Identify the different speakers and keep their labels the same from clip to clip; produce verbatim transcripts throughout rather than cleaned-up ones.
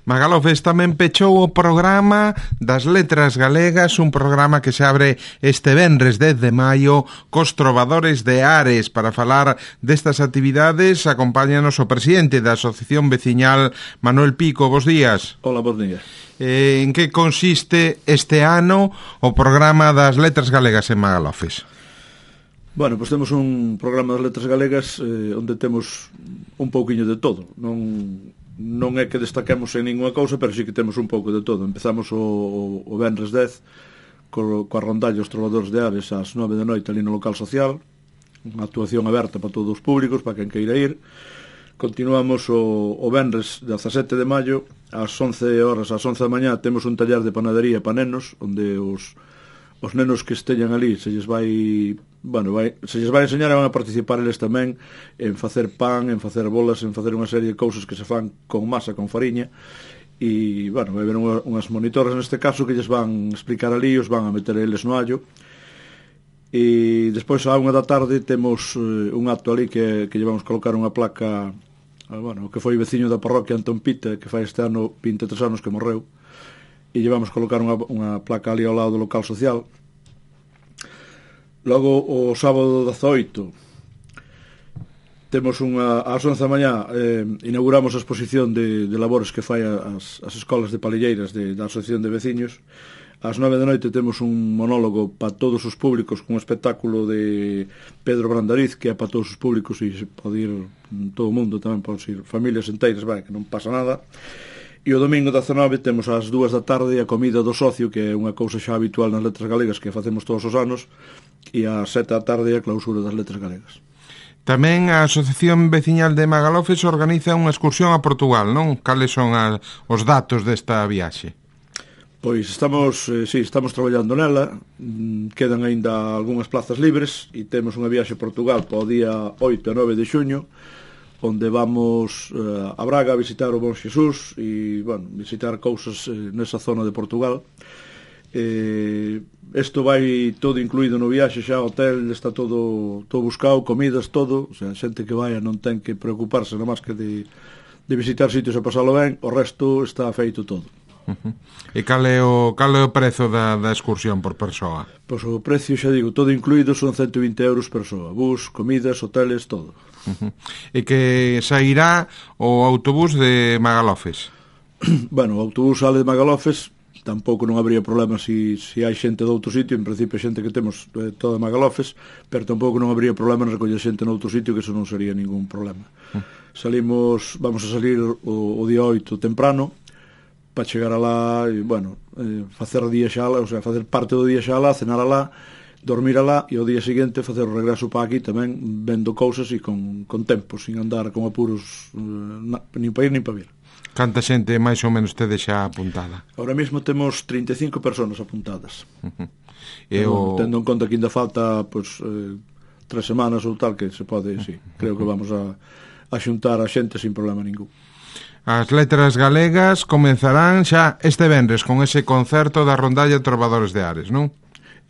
Speaker 1: Magalofes tamén pechou o programa das Letras Galegas, un programa que se abre este venres dez de maio cos Trovadores de Ares. Para falar destas actividades acompáñanos o presidente da Asociación Veciñal, Manuel Pico. Bos días.
Speaker 2: Hola, bos días.
Speaker 1: Eh, en que consiste este ano o programa das Letras Galegas en Magalofes?
Speaker 2: Bueno, pois temos un programa das Letras Galegas eh, onde temos un pouquiño de todo. Non, non é que destaquemos en ninguna cousa, pero sí que temos un pouco de todo. Empezamos o, o venres dez co, coa rondalla Os Trovadores de Ares ás nove da noite ali no local social, unha actuación aberta para todos os públicos, para quen queira ir. Continuamos o, o venres dezasete de maio ás once horas, ás once da mañá temos un taller de panadería para nenos, onde os os nenos que esteñan ali se lles vai, bueno, vai, se lles vai enseñar e van a participar eles tamén en facer pan, en facer bolas, en facer unha serie de cousas que se fan con masa, con fariña, e, bueno, vai haber unha, unhas monitoras neste caso que lles van explicar ali, os van a meter eles no allo. E despois a unha da tarde temos eh, un acto ali que, que llevamos colocar unha placa, bueno, que foi veciño da parroquia Antón Pita, que fai este ano vinte e tres anos que morreu, e llevamos colocar unha, unha placa ali ao lado do local social. Logo o sábado dezaoito temos unha, ás once da mañá eh, inauguramos a exposición de, de labores que fai as, as escolas de palilleiras de, da Asociación de Veciños. Ás nove da noite temos un monólogo para todos os públicos con un espectáculo de Pedro Brandariz, que é para todos os públicos e se pode ir todo o mundo, tamén pode ir familias enteiras, vai, que non pasa nada. E o domingo dezanove temos ás dúas da tarde a comida do socio, que é unha cousa xa habitual nas Letras Galegas que facemos todos os anos, e ás sete da tarde a clausura das Letras Galegas.
Speaker 1: Tamén a Asociación Veciñal de Magalofes organiza unha excursión a Portugal, non? Cales son a, os datos desta viaxe?
Speaker 2: Pois estamos, eh, sí, estamos traballando nela, quedan aínda algunhas plazas libres e temos unha viaxe a Portugal para o día oito e nove de xuño, onde vamos uh, a Braga a visitar o Bon Xesús e, bueno, visitar cousas eh, nesa zona de Portugal. Eh, isto vai todo incluído no viaxe xa, hotel, está todo todo buscado, comidas, todo, o sea, xente que vaya non ten que preocuparse nada máis que de, de visitar sitios e pasalo ben, o resto está feito todo.
Speaker 1: Uh-huh. E cal é o, cal é o prezo da, da excursión por persoa?
Speaker 2: Pois o precio, xa digo, todo incluído son cento e vinte euros persoa, bus, comidas, hoteles, todo.
Speaker 1: Uh-huh. E que sairá o autobús de Magalofes?
Speaker 2: Bueno, o autobús sale de Magalofes, tampouco non habría problema se si, si hai xente de outro sitio, en principio xente que temos eh, toda Magalofes, pero tampouco non habría problema en recoller xente noutro sitio, que eso non sería ningún problema. Uh-huh. Salimos, vamos a salir o, o día oito temprano, para chegar alá e, bueno, eh, facer día xa alá, o sea, facer parte do día xa alá, cenar alá, dormir alá e o día seguinte facer o regreso para aquí tamén vendo cousas e con, con tempo, sin andar con apuros eh, na, nin para ir nin para vir.
Speaker 1: Canta xente máis ou menos tede xa apuntada?
Speaker 2: Ahora mesmo temos trinta e cinco personas apuntadas.
Speaker 1: Uh-huh.
Speaker 2: E o... Tendo en conta que ainda falta pues, eh, tres semanas ou tal, que se pode, sí, creo que vamos a, a xuntar a xente sin problema ningún.
Speaker 1: As Letras Galegas comenzarán xa este venres con ese concerto da rondalla Trovadores de Ares, non?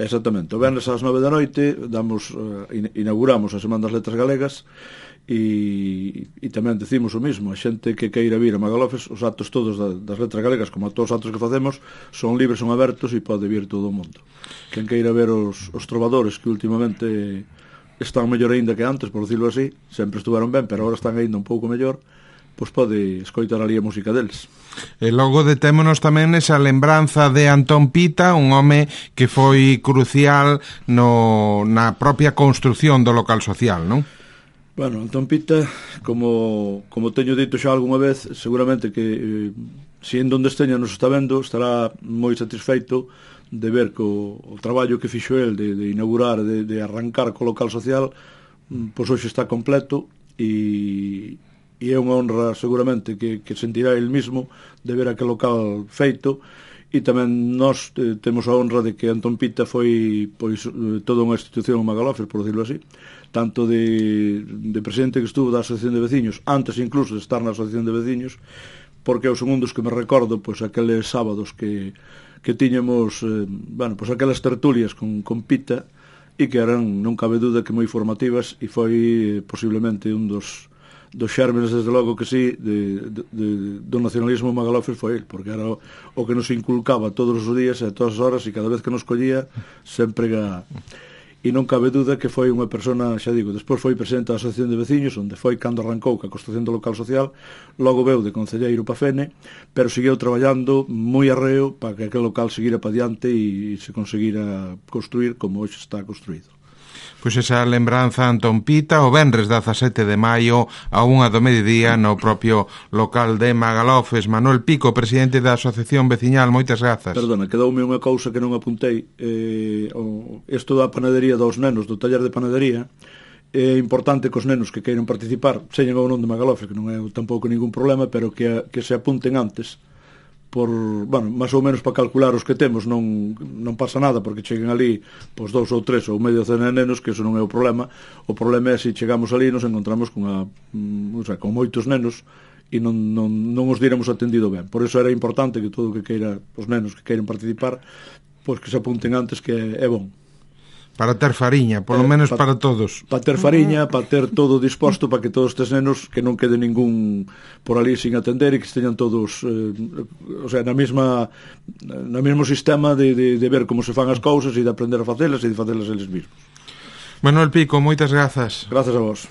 Speaker 2: Exactamente, o venres ás nove da noite damos, uh, inauguramos a Semana das Letras Galegas e, e tamén decimos o mismo, a xente que queira vir a Magalofes, os actos todos da, das Letras Galegas, como a todos os actos que facemos, son libres, son abertos e pode vir todo o mundo. Quen queira ver os, os trovadores, que últimamente están mellor aínda que antes, por decirlo así, sempre estuveron ben, pero agora están aínda un pouco mellor, pois pode escoitar ali a música deles.
Speaker 1: E logo detémonos tamén esa lembranza de Antón Pita, un home que foi crucial no, na propia construción do local social, non?
Speaker 2: Bueno, Antón Pita, como, como teño dito xa algunha vez, seguramente que eh, se en donde esteña nos está vendo, estará moi satisfeito de ver que o, o traballo que fixo el de, de inaugurar, de, de arrancar co local social, pois hoxe está completo e... e é unha honra seguramente que, que sentirá el mismo de ver aquel local feito, e tamén nós eh, temos a honra de que Antón Pita foi pois toda unha institución en Magalofes, por decirlo así, tanto de, de presidente que estuvo da Asociación de Veciños, antes incluso de estar na Asociación de Veciños, porque eu son un dos que me recordo pois aqueles sábados que, que tiñamos eh, bueno, pois aquelas tertulias con, con Pita, e que eran, non cabe duda, que moi formativas, e foi eh, posiblemente un dos dos xérmenes, desde logo que sí, de, de, de, do nacionalismo Magalofes foi el, porque era o, o que nos inculcaba todos os días e a todas as horas, e cada vez que nos collía sempre ga... E non cabe duda que foi unha persona, xa digo, despois foi presidente da Asociación de Veciños, onde foi cando arrancou ca construción do local social, logo veu de concelleiro pa Fene, pero seguiu traballando moi arreo para que aquel local seguira pa diante e se conseguira construir como hoxe está construído.
Speaker 1: Pois esa lembranza Antón Pita, o venres dezasete de maio a unha do mediodía no propio local de Magalofes. Manuel Pico, presidente da Asociación Veciñal, moitas grazas.
Speaker 2: Perdona, quedoume unha cousa que non apuntei. Eh, o, isto da panadería dos nenos, do taller de panadería, é importante que os nenos que queiran participar, señen ou non de Magalofes, que non é tampouco ningún problema, pero que, que se apunten antes, por, bueno, máis ou menos para calcular os que temos, non, non pasa nada porque cheguen ali pois dous ou tres ou medio cena de nenos, que eso non é o problema. O problema é se chegamos ali e nos encontramos con, a, o sea, con moitos nenos e non, non, non os diremos atendido ben. Por eso era importante que todo o que queira, os nenos que queiren participar, pois que se apunten antes, que é, é bon.
Speaker 1: Para ter fariña, polo menos
Speaker 2: eh, pa,
Speaker 1: para todos.
Speaker 2: Para ter fariña, para ter todo disposto para que todos estes nenos, que non quede ningún por ali sin atender e que esteñan todos eh, o sea, na mesma no mesmo sistema de, de, de ver como se fan as cousas e de aprender a facelas e de facelas eles mesmos.
Speaker 1: Manuel Pico, moitas grazas.
Speaker 2: Grazas a vos.